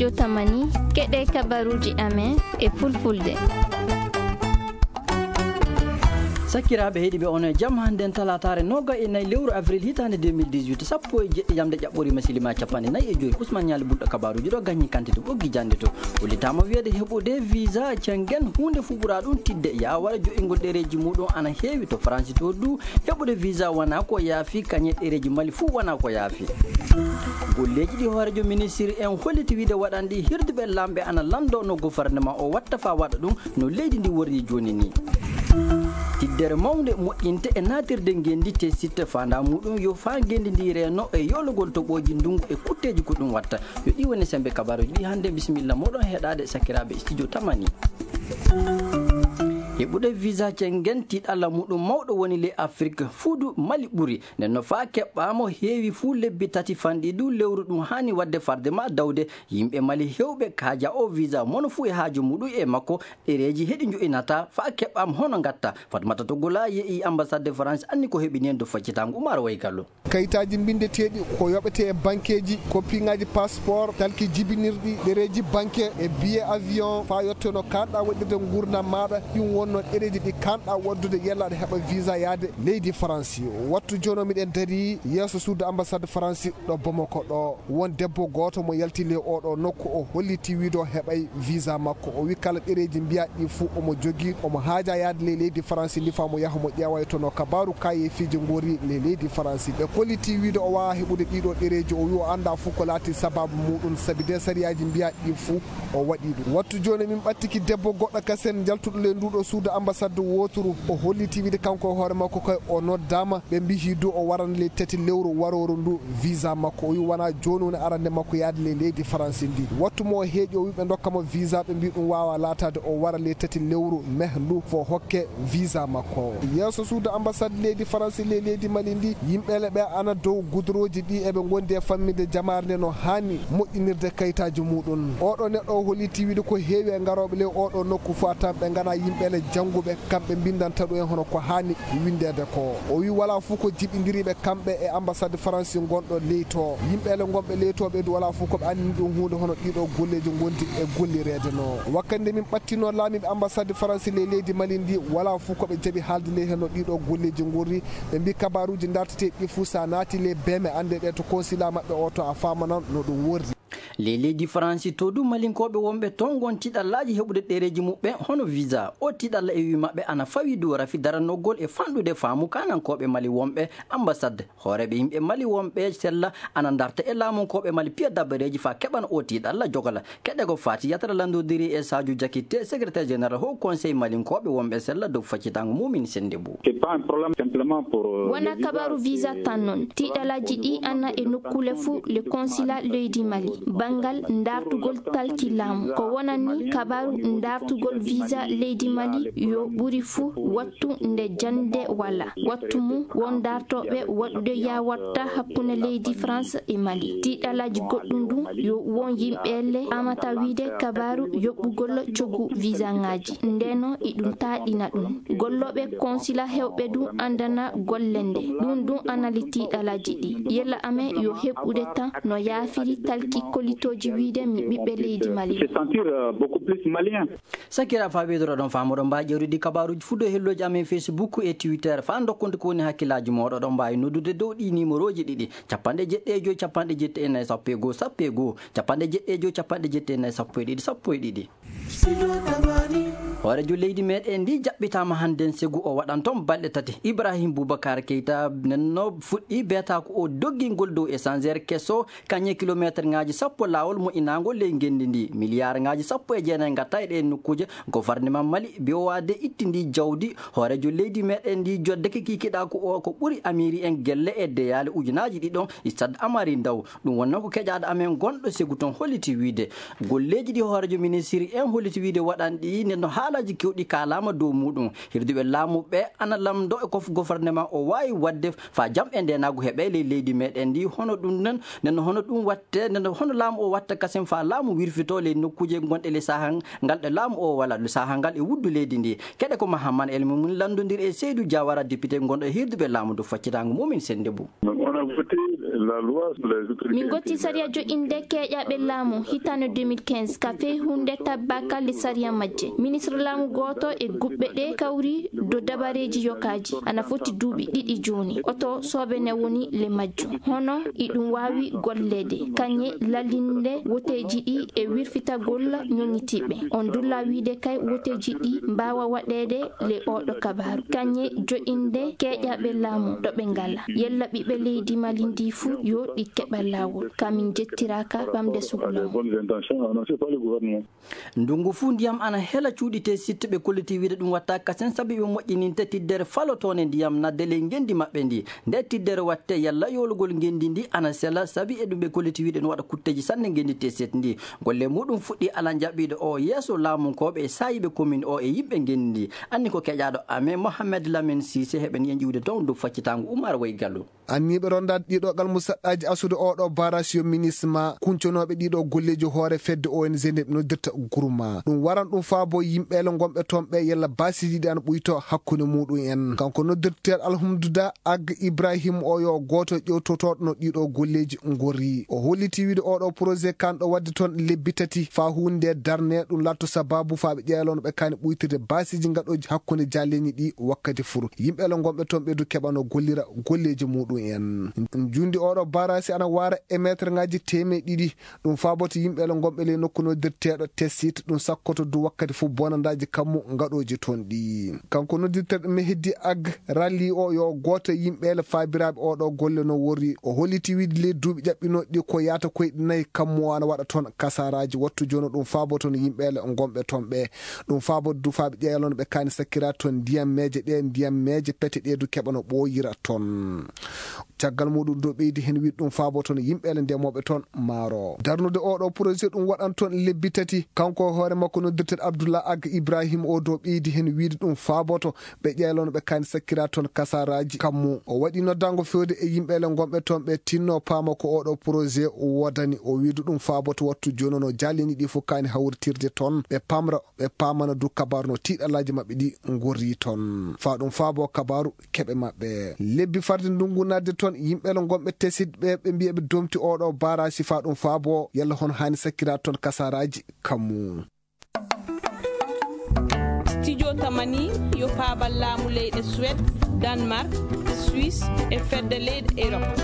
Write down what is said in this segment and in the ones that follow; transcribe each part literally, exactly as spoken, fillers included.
Yo tamani, keɗe kabaruuji amen e fulfulde. Sakiraaɓe heɗiiɓe, on e jam. Hannden talaataare nooga e nayi lewru avril hitaande deux mille dix-huit, sappo e jeɗɗi jamɗe ƴaɓɓoriima silima capanɗe nayi e joyi. Usman Ñaali Bulɗo kabaruuji ɗo gañi kante to ɓoggi jannde to. Ullitaama wiyeede heɓude visa Schengen, huunde fuu ɓuraa ɗum tiiɗde. Yaawara jo'ingol ɗereeji muuɗum ana heewi to Faransi to du. Heɓude visa wonaa ko yaafi, kañe ɗereeji Mali fuu wonaa ko yaafi. Golleeji ɗi hooreejo ministiri en holliti wiide waɗan ɗi, hirduɓe laamɓe ana lanndoo no gofarnema o watta faa waɗa ɗum no leydi ndi worri jooni ni. Tiddere mawnde moƴƴinte e naatirde ngenndi te sitte faandaa muuɗum yo faa ngenndi ndi reeno e yoolagol toɓooji ndunngu e kutteeji ko ɗum watta. Yo ɗi woni semmbe kabaruuji ɗi hannde. Bisimilla mooɗon heɗaade sakiraaɓe studio Tamani. Heɓude visa Schengen tiiɗalla muuɗum mawɗo woni ley Afrik fuu du Mali ɓuri. Nden no faa keɓɓaama heewi fuu lebbi tati fanɗi du lewru ɗum haani waɗde farde maa dawde. Yimɓe Mali heewɓe kaaja o visa mono fuu e haaju muuɗum e makko. Ɗereeji heɗi njo'inata faa keɓɓaama hono ngatta. Fatmata Togola ye'i ambassade de France anni ko heɓini en do faccitaango Umar Waygallo. Kayitaaji mbinndeteeɗi ko yoɓetee e bankeeji, kopiŋaaji passeport, talki jibinirɗi, ɗereeji banke e billet avion, faa yotteno kaanɗaa waɗirde nguurndam maaɗa. Ɗum wonno ɗereeji ɗi kaanɗaa waɗdude yella aɗa heɓa visa yaade leydi Faransi. Wattu jooni o miɗen darii yeeso suudu ambassade Faransi ɗo Bamako ɗo. Won debbo gooto mo yalti ley oɗo nokku, o holliti wiide o heɓay visa makko. O wi kala ɗereeji mbiyaɗi ɗi fuu omo jogii, omo haaja yaade ley leydi Faransi ndi faa mo yaha mo ƴeewa e tono kabaaru kaayeefiiji ngori ley leydi Faransi. Ɓe kolliti wiide o waawaa heɓude ɗiɗo ɗereeji, o wi o anndaa fuu ko laati sabaabu muuɗum, sabi de sariyaaji mbiyaɗi ɗi fuu o waɗi ɗum. Wattu jooni min ɓattiki debbo goɗɗo kasen jaltuɗo ley nduɗo suudu ambassade wooturu. O holliti wiide kanko e hoore makko kay o noddaama. Ɓe mbiyi du o waran ley tati lewru warooru ndu visa makko. O wi wonaa jooni woni arande makko yaade ley leydi Faransi ndi. Wattu mo o heeƴi o wi ɓe ndokka mo visa, ɓe mbi ɗum waawaa laataade, o wara ley tati lewru mai ndu fo hokke visa makko. Yeeso suudu ambassade leydi Faransi ley leydi Mali ndi, yimɓeele ɓe ana dow gudorooji ɗi eɓe ngondi e famminde jamaare nde no haani moƴƴinirde kayitaaji muuɗum. Oɗo neɗɗo o holliti wiide ko heewi e ngarooɓe ley oɗo nokku fuu a tawan ɓe nganaa yimɓeele jannguɓe, kamɓe mbinndanta ɗum en hono ko haani winndeede ko. O wi walaa fuu ko jibindiri ɓe kamɓe e ambassade Faransi ngonɗo ley to. Yimɓeele ngonɓe ley to ɓe du walaa fuu ko ɓe anndini ɗum huunde hono ɗiɗo golleeji ngondi e gollireede no. Wakkati nde min ɓattinoo laamiiɓe ambassade Faransi ley leydi Mali ndi, walaa fuu ko ɓe jaɓi haalde ley heen no ɗiɗo golleeji ngorri. Ɓe mbi kabaaruuji ndartetee ɗi fuu so a naati ley beeme annde ɗe to consulat maɓɓe o to a faamanan no ɗum worri. Ley leydi Faransi to du Malinkooɓe wonɓe toon ngon tiiɗallaaji heɓude ɗereeji muɓɓen hono visa. O tiiɗalla e wii maɓɓe ana fawi du rafi daranogol e fanɗude faamu kaanankooɓe Mali wonɓe ambassade. Hooreeɓe yimɓe Mali wonɓe sella ana ndarta e laamunkooɓe Mali piya dabareeji faa keɓana o tiiɗalla jogala. Keɗe ko faati yatara lanndodiri e Sadio Diakité, secrétaire général Haut Conseil malinkooɓe wonɓe sella dow faccitaango Mumin Sendebou. C'est pas un problème simplement pour, euh, wona le visa, kabaru visa c'est tan noon. Tiiɗalaaji ɗi ana e nokkuule fuu le consulat leydi Mali. Banngal ndartugol talki laamu. Ko wonani kabaru ndartugol visa leydi Mali yo ɓuri fuu wattu nde jannde wala. Wattu mum won dartooɓe waɗude yaawatta hakkunde leydi France e Mali. Tiiɗalaaji goɗɗum ɗum yo won yimɓeele amata wiide kabaru yoɓɓugol coggu visa ŋaaji. Ndeno iɗum taaɗina ɗum. Gollooɓe consulat heewɓe ɗum anndana golle nde. Ɗum ɗum anali tiiɗalaaji ɗi. Yella amen yo heɓɓude tan no yaafiri talki kolitooji wiide mi ɓiɓɓe leydi Mali. Se sentir, euh, beaucoup plus malien. Sakira faa ɓeydoro ɗon faamoɗon mbaawi ƴeewrude kabaruuji fuu dow hellooji amen Facebook e Twitter. Faa ndokkude ko woni hakkillaaji mooɗon, ɗon mbaawi noddude dow ɗii niimorooji ɗiɗi, capanɗe jeɗɗi e joy, capanɗe jeɗɗi e nayi, sappo e goo, sappo e goo, capanɗe jeɗɗi e joy, capanɗe jeɗɗi e nayi, sappo e ɗiɗi, sappo e ɗiɗi. Hooreejo leydi meɗen ndi jaɓɓitaama hannden segu o waɗan toon balɗe tati. Ibrahim Boubacar Keita nenno fuɗɗi beetaaku o doggingol dow échangeur keso, kañe kilomeeterŋaaji sappo laawol moƴƴinaango ley ngenndi ndi. Miliyaarŋaaji sappo e jeenayi ngatta e ɗee nokkuuje. Gofarneman Mali biyowaade itti ndi jawdi. Hooreejo leydi meɗen ndi joddeke kikiɗaaku o ko ɓuri amiiri en gelle e deyaale ujunaaji ɗiɗon Stade Amari Ndaw. Ɗum wonnoo ko keƴaaɗo amen gonɗo segu toon holliti wiide golleeji ɗi hooreejo ministiri en holliti wiide waɗan ɗi nde no haalaaji kewɗi kaalaama dow muuɗum. Hirduɓe laamu ɓe ana lamndo e kof gofarneman o waawi waɗde faa jam e ndeenaagu heɓee ley leydi meɗen ndi. Hono ɗum nen, nen hono ɗum watte, nen hono laamu o watta kasen faa laamu wirfitoo ley nokkuuje gonɗe ley sahaa ngal ɗe laamu o wala, ley sahaa ngal e wuddu leydi ndi. Keɗe ko Mahaman El Mumin lanndondiri e Seydou Diawara, député gonɗo e hirduɓe laamu dow faccitaango Mumin Sendebou. On a voté Min gotti sariya joƴƴinde keeƴaaɓe laamu hitaande deux mille quinze ka feyhunde tabbaaka le sariya majje. Ministre laamu gooto e guɓɓe ɗe kawri do dabareeji yokaaji ana foti duuɓi ɗiɗi jooni. Oto soobene woni le majjum. Hono iɗum waawi golleede, kañe lallinde woteeji ɗi e wirfitagol ñoŋitiiɓe. On dulla wiide kay woteeji ɗi mbaawa waɗeede le oɗo kabaaru. Kañe joƴƴinde keeƴaaɓe laamu ɗo ɓe ngala. Yella ɓiɓɓe leydi Mali ndi fuu yo ɗi keɓa laawol. Ka min jettiraaka ɓamde sukula mum. Ndungu fuu ndiyam ana hela cuuɗi te sitte ɓe kolliti wiide ɗum watta kasen sabi ɓe moƴƴininte tiddere falotoonde ndiyam nadde ley ngenndi maɓɓe ndi. Nde tiddere watte yalla yoolugol ngenndi ndi ana sela sabi e ɗum ɓe kolliti wiide no waɗa kutteeji sanne ngenndi te set ndi. Golle muɗum fuɗɗi ala jaɓɓiiɗo o yeeso laamunkooɓe e saayiiɓe komin o e yimɓe ngenndi ndi. Anni ko keƴaaɗo amen Mohamed Lamine Sise heɓen yen ƴiwde toon dow faccitaango Umar Way Gallo. Anniiɓe rondaade ɗiɗo gal musaɗɗaaji asude oɗo barasi yo minisma kunconooɓe ɗiɗo golleeji hoore fedde O N G nde ɓe noddirta Groupement. Ɗum waran ɗum faabo yimɓeele ngonɓe toon ɓe yalla baasiiji ɗi ana ɓuyto hakkunde muɗum en. Kanko noddirteeɗo Alhamduda Ag Ibrahim o yo gooto ƴewtotooɗo no ɗiɗo golleeji ngorri. O holliti wiide oɗo projet kanɗo waɗde toon lebbi tati faa huunde darne ɗum latto sababu faa ɓe ƴeeloono ɓe kani ɓuytirde baasiiji ngaɗooji hakkunde jaalleeñi ɗi wakkati fur. Yimɓeele ngonɓe toon ɓeydu keɓano gollira golleeji muɗum en. Njundi oɗo barasi ana wara e meetre ngaji teemeɗe ɗiɗi. Ɗum faaboto yimɓeele ngonɓe ley nokku noddirteeɗo Tessit, ɗum sakkoto du wakkati fof bonandaaji kammu ngaɗooji toon ɗi. Kanko noddirteeɗo Mehdi Ag Rali o yo gooto e yimɓeele faabiraaɓe oɗo golle no worri. O holliti wiide ley duuɓi ƴaɓɓinooɗi ɗi ko yaata koyɗe nayi kammu o ana waɗa toon kasaraaji. Wattu jooni o ɗum faaboto no yimɓeele ngonɓe toon ɓe. Ɗum faaboto du faaɓe ƴeeloono ɓe kaani sakkira toon ndiyam meeje ɗe, ndiyam meeje pete ɗe du keɓano ɓooyira toon. Caggal muɗum do ɓeydi heen wiide ɗum faaboto no yimɓeele ndemooɓe toon maaro. Darnude oɗo projet ɗum waɗan toon lebbi tati. Kanko e hoore makko noddirteeɗo Abdullah Ag Ibrahim o do ɓeydi heen wiide ɗum faaboto ɓe ƴeeloono ɓe kaani sakkira toon kasaraaji kammu. O waɗi noddaango feewde e yimɓeele ngonɓe toon ɓe tinno paama ko oɗo projet wodani. O wiide ɗum faaboto wattu jooni o no jaalleeñi ɗi fof kaani hawritirde toon. Ɓe pamra, ɓe paamana du kabaaru no tiiɗalaaji maɓɓe ɗi ngorri toon. Faa ɗum faabo kabaaru keɓe maɓɓe. Lebbi farde ndungu naatde toon, yimɓeele ngonɓe Tessit ɓe, ɓe mbiya ɓe domti oɗo barasi faa ɗum faabo, yalla hono haani sakkira toon kasaraaji kammu. Studio Tamani yo paabal laamu leyɗe Suède, Danemark, Suisse e fedde leyɗe Europe.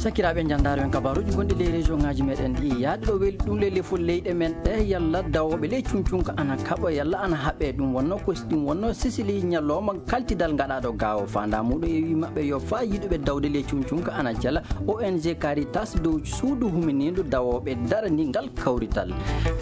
Sakiraaɓe, njanndaaro en kabaaruuji gonɗi ley région ŋaaji meɗen ɗi. Yaade ɗo weli ɗum ley lefol leyɗe men ɗe, yalla dawooɓe ley cuncunka ana kaɓa, yalla ana haɓe. Ɗum wonno ko, ɗum wonno Sicili ñalawma kaltidal ngaɗaaɗo gaawo. Faandaa muɗum e wi maɓɓe yo faa yiɗuɓe dawde ley cuncunka ana jala O N G Caritas dow suudu huminiindu dawooɓe darani ngal kawrital.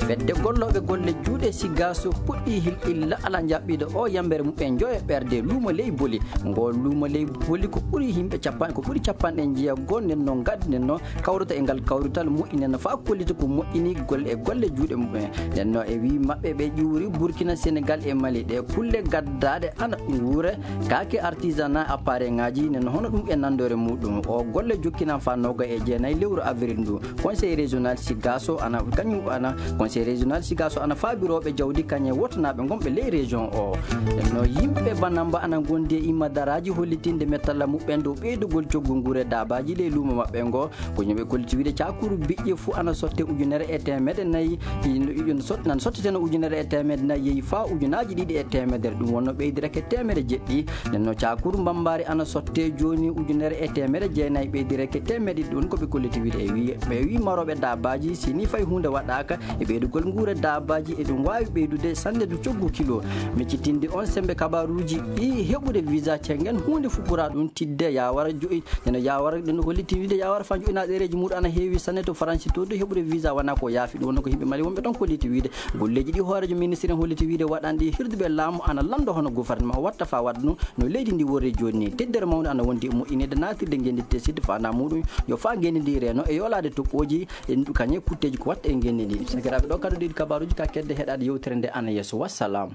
Fedde gollooɓe golle juuɗe Sigaso puɗɗii hilɓilla ala jaɓɓiiɗo o yambere muɓɓen njoyo ɓerde luumo ley Boli. Ngoo luumo ley Boli ko ɓuri yimɓe cappan-, ko ɓuri capanɗe jeego nden no ngaddi nden no kawrata e ngal kawrital moƴƴi nden no faa kollita ko moƴƴini golle e golle juuɗe muɓɓen. Nden no e wii maɓɓe ɓe ƴuuri Burkina, Senegal e Mali ɗe kulle gaddaaɗe ana nguure kaake artisanat appareil ŋaaji nden no hono ɗum e nanndore muɗum. O golle jokkinan faa nooga e jeenayi lewru avril ndu. Conseil régional Sigaso ana, kañum ana, Conseil régional Sigaso ana faabirooɓe jawdi kañe wotanaaɓe ngonɓe ley région o. Nden no yimɓe Banamba ana ngondi e imma daraaji hollitinde mettalla muɓɓen dow ɓeydugol coggu nguure daabaaji ley luumo maɓɓe ngo. Ko yimɓe kolliti wiide caakuru biƴƴe fuu ana sotte ujunere e teemedde nayi, ino, ino sot-, nan sotteteno ujunere e teemedde nayi yehi faa ujunaaji ɗiɗi e teemedere. Ɗum wonno ɓeydira ke teemedde jeɗɗi. Nden no caakuru mbambaari ana sotte jooni ujunere e teemedde jeenayi ɓeydira ke teemedde ɗiɗi. Ɗum ko ɓe kolliti wiide e wi-, ɓe wi marooɓe daabaaji, si ni fay huunde waɗaaka e ɓeydugol nguure daabaaji, e ɗum waawi ɓeydude sannde du coggu kilo. Miccitinde on semmbe kabaaruuji ɗi heɓude visa Schengen, huunde fuɓɓuraa ɗum tidde, yaa wara jo'i-, ene yaa wara, ɗum holliti wiide yaa wara faa jo'inaa ɗereeji muuɗum ana heewi sanne to Faransi to, du heɓude visa wanaa ko yaafi. Ɗum wonno ko yimɓe Mali wonɓe toon kolliti wiide. Golleeji ɗi hooreejo ministre en holliti wiide waɗan ɗi hirduɓe laamu ana lanndo hono gouvernement o watta faa waɗa ɗum no leydi ndi worri jooni ni. Teddere mawnde ana wondi e moƴƴinirde naatirde ngenndi te sidde faandaa muɗum yo faa ngenndi ndi reeno e yoolaade toɓɓooji e ndu kañe kutteeji ko watta e ngenndi ndi. Sakiraaɓe, ɗo kadi ɗiɗi kabaaruuji ka kedde heɗaade yewtere nde ana yeeso. Wassalam.